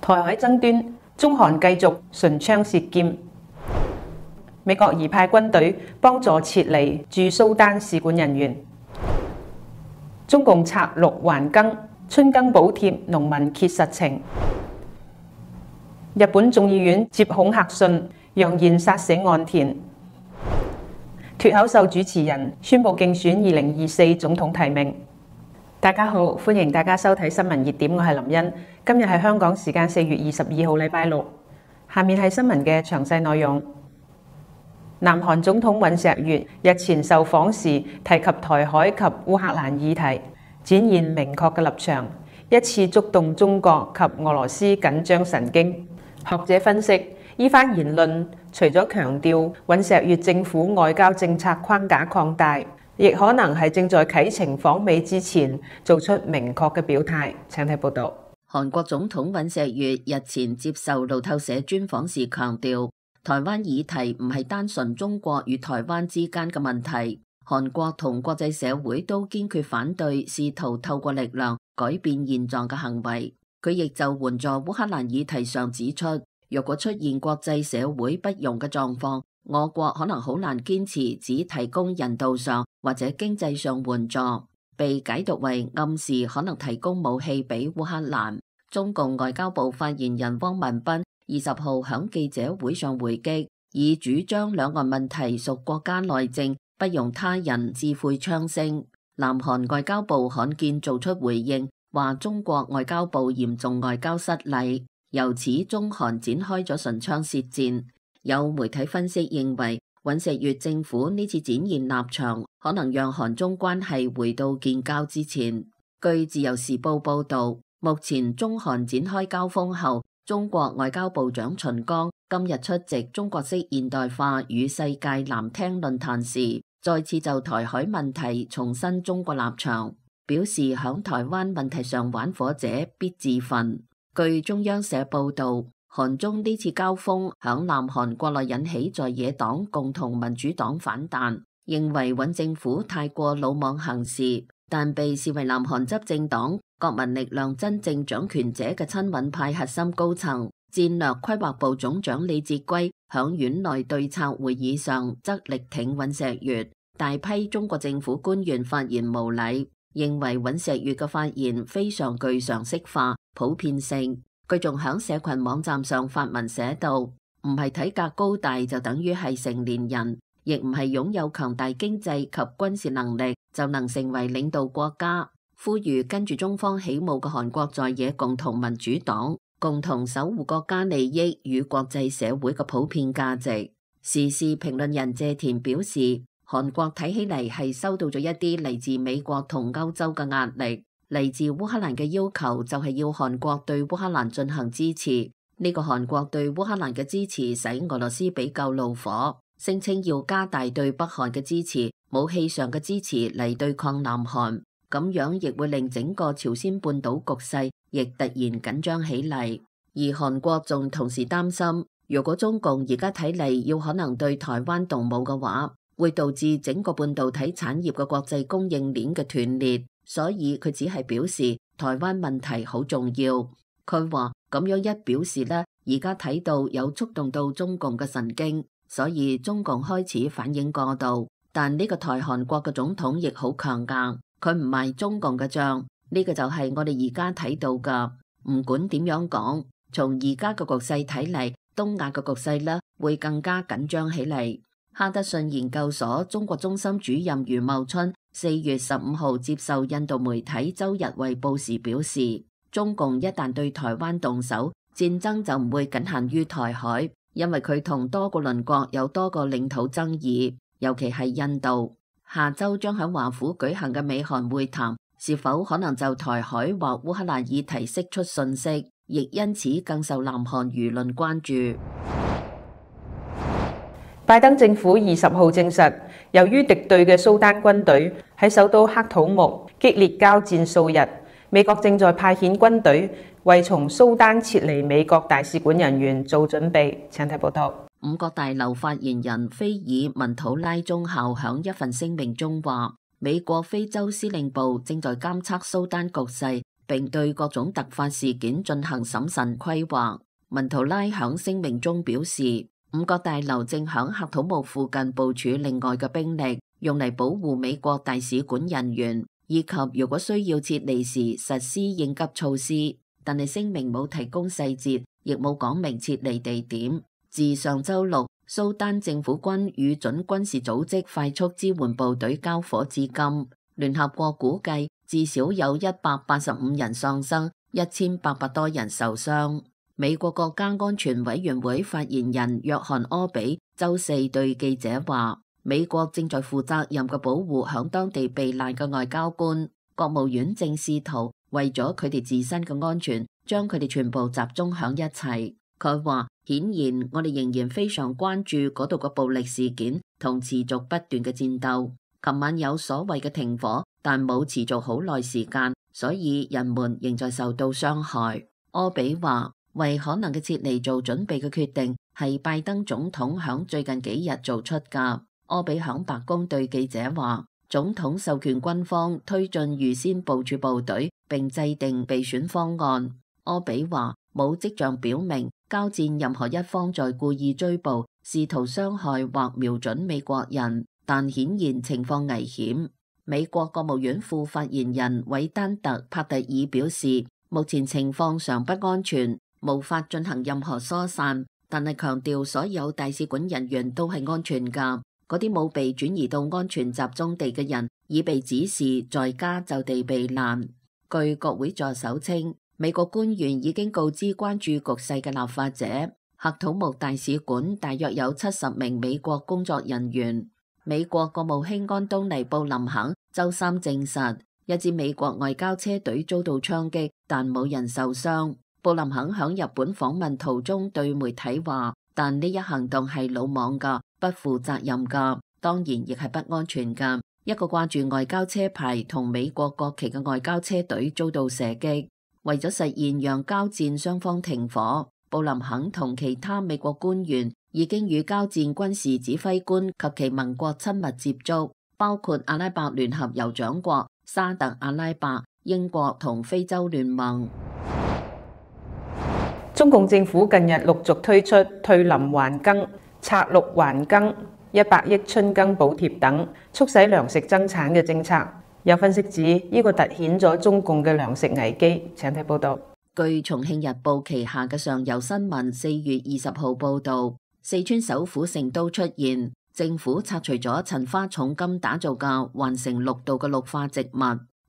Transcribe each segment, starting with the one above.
台海爭端，中韓繼續唇槍舌劍。美國移派軍隊幫助撤離駐蘇丹使館人員。中共策陸還耕，春耕補貼農民揭實情。日本眾議院接恐嚇信，揚言殺死岸田。脫口秀主持人宣布競選2024總統提名。大家好，歡迎大家收睇新聞熱點，我係林茵。今日係香港時間4月22號禮拜六。下面係新聞嘅詳細內容。南韓總統尹錫悅日前受訪時提及台海及烏克蘭議題，展現明確嘅立場，一次觸動中國及俄羅斯緊張神經。學者分析，依番言論除咗強調尹錫悅政府外交政策框架擴大，亦可能係正在啟程訪美之前做出明確嘅表態。請睇報道。韓國總統尹錫悅日前接受路透社專訪時強調，台灣議題唔係單純中國與台灣之間嘅問題，韓國同國際社會都堅決反對試圖透過力量改變現狀嘅行為。佢亦就援助烏克蘭議題上指出，若果出現國際社會不容嘅狀況，我國可能好難堅持只提供人道上或者經濟上援助，被解讀為暗示可能提供武器俾烏克蘭。中共外交部發言人汪文斌20號響記者會上回擊，以主張兩岸問題屬國家內政，不容他人智慧槍聲。南韓外交部罕見做出回應，話中國外交部嚴重外交失禮，由此中韓展開咗唇槍舌戰。有媒體分析認為，尹錫悅政府呢次展現立場，可能讓韓中關係回到建交之前。據自由時報報道，目前中韓展開交鋒後，中國外交部長秦剛今日出席中國式現代化與世界難聽論壇時，再次就台海問題重申中國立場，表示響台灣問題上玩火者必自焚。據中央社報道，韓中呢次交鋒響南韓國內引起在野黨共同民主黨反彈，認為尹政府太過魯莽行事，但被視為南韓執政黨國民力量真正掌權者嘅親尹派核心高層戰略規劃部總長李哲圭響院內對策會議上則力挺尹錫悅，大批中國政府官員發言無禮，認為尹錫悅嘅發言非常具常識化、普遍性。佢仲響社群網站上發文寫道，唔係體格高大就等於係成年人，亦唔係擁有強大經濟及軍事能力就能成為領導國家。呼籲跟住中方起舞嘅韓國在野共同民主黨，共同守護國家利益與國際社會嘅普遍價值。時事評論人謝田表示，韓國睇起嚟係收到咗一啲嚟自美國同歐洲嘅壓力，嚟自烏克蘭嘅要求就係要韓國對烏克蘭進行支持。呢個韓國對烏克蘭嘅支持使俄羅斯比較怒火，聲稱要加大對北韓嘅支持，武器上嘅支持嚟對抗南韓。咁樣亦會令整個朝鮮半島局勢亦突然緊張起嚟，而韓國仲同時擔心，如果中共而家睇嚟要可能對台灣動武嘅話，會導致整個半導體產業嘅國際供應鏈嘅斷裂，所以佢只係表示台灣問題好重要。佢話咁樣一表示呢，而家睇到有觸動到中共嘅神經，所以中共開始反應過度。但呢個台韓國嘅總統亦好強硬。佢唔賣中共嘅賬，呢個就係我哋而家睇到噶。唔管點樣講，從而家嘅局勢睇嚟，東亞嘅局勢呢會更加緊張起嚟。哈德遜研究所中國中心主任余茂春4月15號接受印度媒體《周日衛報》時表示，中共一旦對台灣動手，戰爭就唔會僅限於台海，因為佢同多個鄰國有多個領土爭議，尤其係印度。下周將喺華府舉行嘅美韓會談，是否可能就台海或烏克蘭議題釋出訊息，亦因此更受南韓輿論關注。拜登政府20號證實，由於敵對嘅蘇丹軍隊喺首都喀土穆激烈交戰數日，美國正在派遣軍隊為從蘇丹撤離美國大使館人員做準備。請睇報道。五角大樓發言人菲爾文圖拉中校響一份聲明中話，美國非洲司令部正在監測蘇丹局勢，並對各種突發事件進行審慎規劃。文圖拉響聲明中表示，五角大樓正響喀土穆附近部署另外嘅兵力，用嚟保護美國大使館人員，以及如果需要撤離時實施應急措施。但係聲明冇提供細節，亦冇講明撤離地點。自上週六，蘇丹政府軍與準軍事組織快速支援部隊交火至今，聯合國估計至少有185人喪生，1800多人受傷。美國國家安全委員會發言人約翰柯比週四對記者話，美國正在負責任嘅保護響當地避難嘅外交官，國務院正試圖為咗佢哋自身嘅安全，將佢哋全部集中響一齊。佢話，顯然我哋仍然非常關注嗰度嘅暴力事件同持續不斷嘅戰鬥。琴晚有所謂嘅停火，但冇持續好耐時間，所以人們仍在受到傷害。柯比話，為可能嘅撤離做準備嘅決定係拜登總統響最近幾日做出㗎。柯比響白宮對記者話，總統授權軍方推進預先部署部隊並制定備選方案。柯比話，冇跡象表明交戰任何一方在故意追捕、試圖傷害或瞄準美國人，但顯然情況危險。美國國務院副發言人韋丹特·帕特爾表示，目前情況尚不安全，無法進行任何疏散，但係強調所有大使館人員都係安全㗎。嗰啲冇被轉移到安全集中地嘅人，已被指示在家就地避難。據國會助手稱，美國官員已經告知關注局勢嘅立法者，喀土穆大使館大約有70名美國工作人員。美國國務卿安東尼布林肯週三證實，一支美國外交車隊遭到槍擊，但冇人受傷。布林肯響日本訪問途中對媒體話，但呢一行動係魯莽㗎，不負責任㗎，當然亦係不安全㗎。一個掛住外交車牌同美國國旗嘅外交車隊遭到射擊。為咗實現讓交戰雙方停火，布林肯同其他美國官員已經與交戰軍事指揮官及其盟國親密接觸，包括阿拉伯聯合酋長國、沙特阿拉伯、英國同非洲聯盟。中共政府近日陸續推出退林還耕、拆綠還耕、100億春耕補貼等促使糧食增產嘅政策。有分析指，呢個凸顯咗中共嘅糧食危機。請睇報道。據重慶日報旗下嘅上游新聞4月20號報道，四川首府成都出現政府拆除咗陳花重金打造嘅環城綠道嘅綠化植物，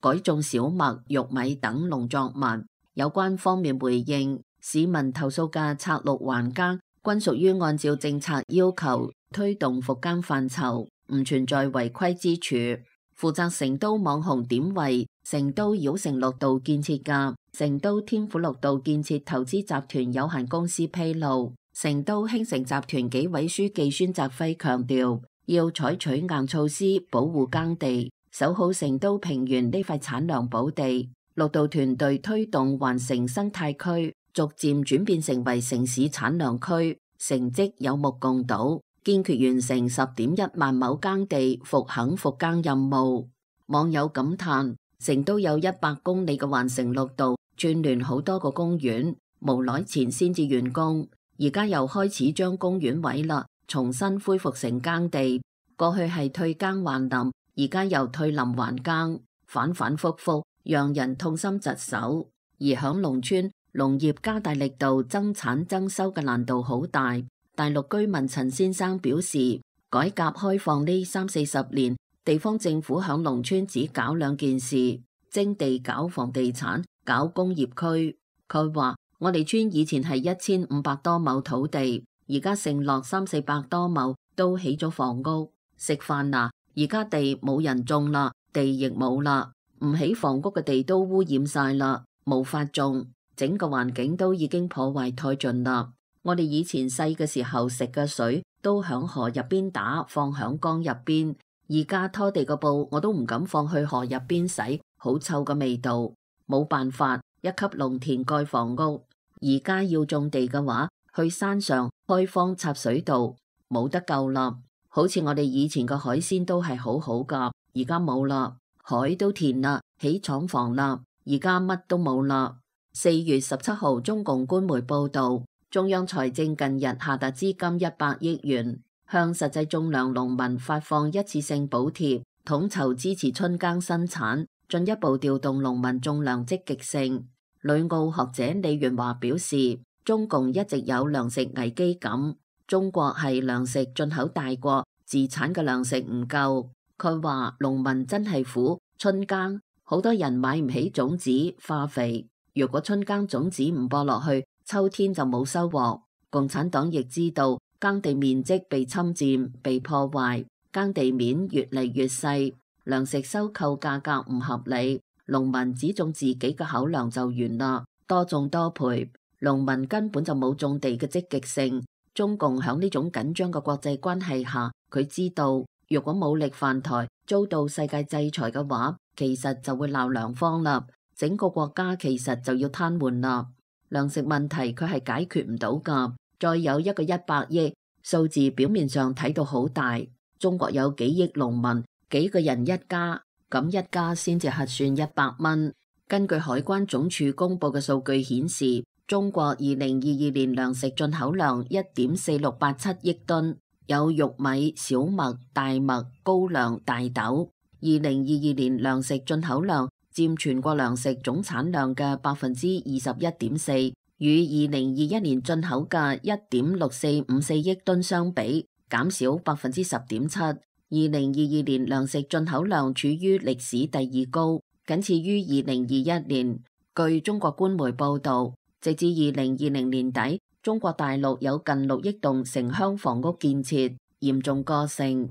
改種小麥、玉米等農作物。有關方面回應，市民投訴嘅拆綠還耕均屬於按照政策要求推動復耕範疇，唔存在違規之處。負責成都網紅點為成都繞城綠道建設嘅成都天府綠道建設投資集團有限公司披露，成都興城集團紀委書記孫澤輝強調，要採取硬措施保護耕地，守好成都平原呢塊產糧寶地。綠道團隊推動環城生態區逐漸轉變成為城市產糧區，成績有目共睹。堅決完成10.1萬畝耕地復墾復耕任務。網友感嘆，成都有100公里嘅環城綠道，串聯好多個公園，無耐前先至完工，而家又開始將公園毀啦，重新恢復成耕地。過去係退耕還林，而家又退林還耕，反反复复，讓人痛心疾首。而響農村，農業加大力度增產增收嘅難度好大。大陸居民陳先生表示，改革開放呢30-40年，地方政府響農村只搞2件事，徵地搞房地產、搞工業區。佢話，我哋村以前係1500多畝土地，而家剩落300-400多畝，都起咗房屋。食飯啦，而家地冇人種啦，地亦冇啦，唔起房屋嘅地都污染晒啦，無法種，整個環境都已經破壞殆盡啦。我哋以前細嘅時候食嘅水都響河入邊打，放響江入邊。而家拖地個布我都唔敢放去河入邊洗，好臭嘅味道。冇辦法，一級農田蓋房屋。而家要種地嘅話，去山上開荒插水道，冇得救啦。好似我哋以前嘅海鮮都係好好噶，而家冇啦，海都填啦，起廠房啦，而家乜都冇啦。4月17號，中共官媒報道，中央財政近日下達資金100億元，向實際種糧農民發放一次性補貼，統籌支持春耕生產，進一步調動農民種糧積極性。旅澳學者李元華表示，中共一直有糧食危機感，中國係糧食進口大國，自產嘅糧食唔夠。佢話農民真係苦，春耕好多人買唔起種子、化肥。如果春耕種子唔播落去，秋天就冇收穫。共產黨亦知道耕地面積被侵佔、被破壞，耕地面越嚟越細，糧食收購價格唔合理，農民只種自己嘅口糧就完啦，多種多賠，農民根本就冇種地嘅積極性。中共響呢種緊張嘅國際關係下，佢知道如果武力犯台，遭到世界制裁嘅話，其實就會鬧糧荒啦。整個國家其實就要癱瘓啦，糧食問題佢係解決唔到噶。再有一個100億，數字表面上睇到好大，中國有幾億農民，幾個人一家，咁一家先至核算100蚊。根據海關總署公布嘅數據顯示，中國2022年糧食進口量1.4687億噸，有玉米、小麥、大麥、高粱、大豆。2022年糧食進口量佔全國糧食總產量嘅21.4%，與2021年進口嘅1.6454億噸相比，減少10.7%。2022年糧食進口量處於歷史第2高，僅次於2021年。據中國官媒報導，直至2020年底，中國大陸有近6億棟城鄉房屋建設，嚴重過剩。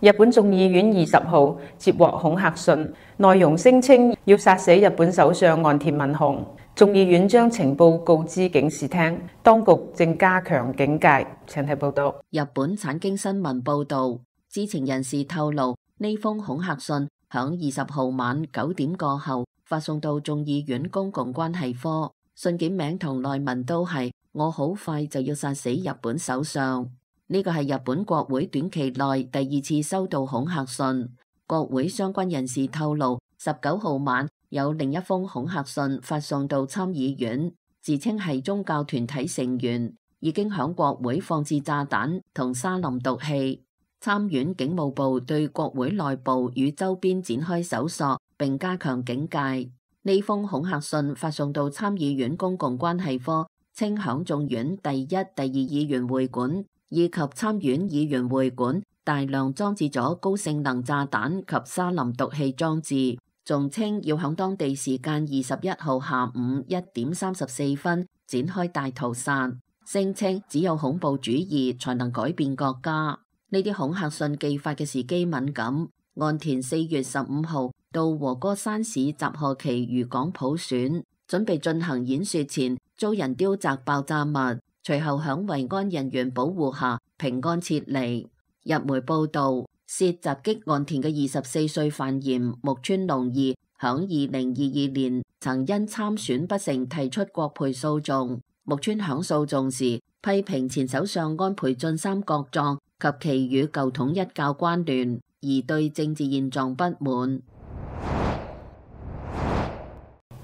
日本眾議院20號接獲恐嚇信，內容聲稱要殺死日本首相岸田文雄。眾議院將情報告知警視廳，當局正加強警戒。請睇報道。日本產經新聞報導，知情人士透露，呢封恐嚇信響20號晚9點過後發送到眾議院公共關係科，信件名同內文都係我好快就要殺死日本首相。呢個係日本國會短期內第2次收到恐嚇信。國會相關人士透露，19號晚有另一封恐嚇信發送到參議院，自稱係宗教團體成員，已經響國會放置炸彈同沙林毒氣。參院警務部對國會內部與周邊展開搜索，並加強警戒。呢封恐嚇信發送到參議院公共關係科，稱響眾院第1、第2議員會館以及參院議員會館大量裝置咗高性能炸彈及沙林毒氣裝置，仲稱要響當地時間21號下午1點34分展開大屠殺，聲稱只有恐怖主義才能改變國家。呢啲恐嚇信寄發嘅時機敏感，岸田4月15號到和歌山市集賀旗漁港普選，準備進行演說前遭人丟擲爆炸物，隨後響維安人員保護下平安撤離。日媒報道，涉襲擊岸田嘅24歲犯嫌木村隆二，響2022年曾因參選不成提出國賠訴訟。木村響訴訟時批評前首相安倍晉三國葬及其與舊統一教關聯，而對政治現狀不滿。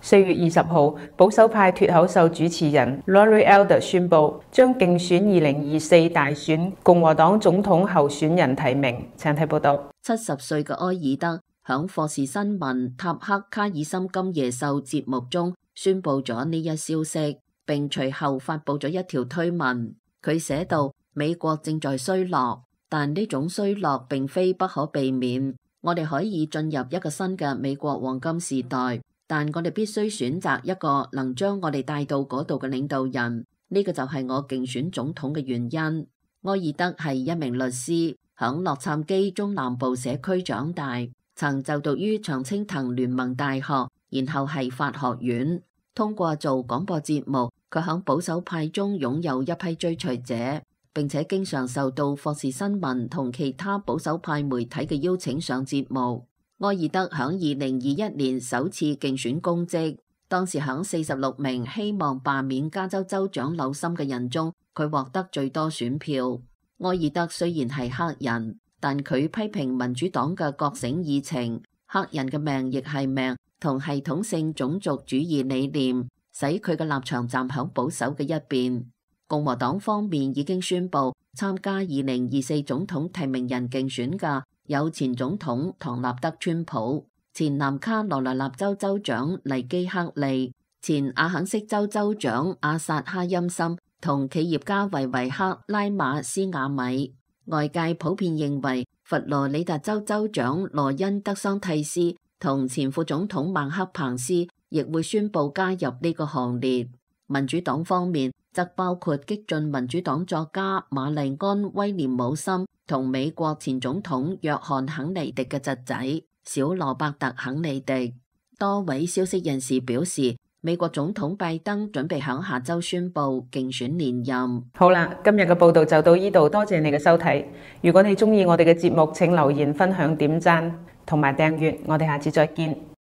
4月20號，保守派脫口秀主持人 Rory Elder 宣布將競選2024大選共和黨總統候選人提名。請睇報道。70歲嘅埃爾德響霍士新聞塔克卡爾森今夜秀節目中宣布咗呢一消息，並隨後發布咗一條推文。佢寫道：美國正在衰落，但呢種衰落並非不可避免。我哋可以進入一個新嘅美國黃金時代，但我哋必須選擇一個能將我哋帶到嗰度嘅領導人。呢個就係我競選總統嘅原因。埃爾德係一名律師，響洛杉磯中南部社區長大，曾就讀於常青藤聯盟大學，然後係法學院。通過做廣播節目，佢響保守派中擁有一批追隨者，並且經常受到霍士新聞同其他保守派媒體嘅邀請上節目。埃爾德響2021年首次競選公職，當時響46名希望罷免加州州長紐森嘅人中，佢獲得最多選票。埃爾德雖然係黑人，但佢批評民主黨嘅覺醒議程，黑人嘅命亦係命同系統性種族主義理念，使佢嘅立場站響保守嘅一邊。共和黨方面已經宣布參加2024總統提名人競選嘅有前總統唐納德·川普、前南卡羅來納州州長尼基·克利、前阿肯色州州長阿薩·哈欽森同企業家維維克·拉馬斯瓦米。外界普遍認為佛羅里達州州長羅恩·德桑蒂斯同前副總統曼克·彭斯亦會宣布加入呢個行列。民主黨方面則包括激進民主黨作家瑪麗安·威廉姆森同美國前總統約翰·肯尼迪嘅侄仔小羅伯特·肯尼迪。多位消息人士表示，美國總統拜登準備響下週宣布競選連任。好啦，今日嘅報道就到呢度，多謝你嘅收睇。如果你鍾意我哋嘅節目，請留言、分享、點讚同埋訂閱。我哋下次再見。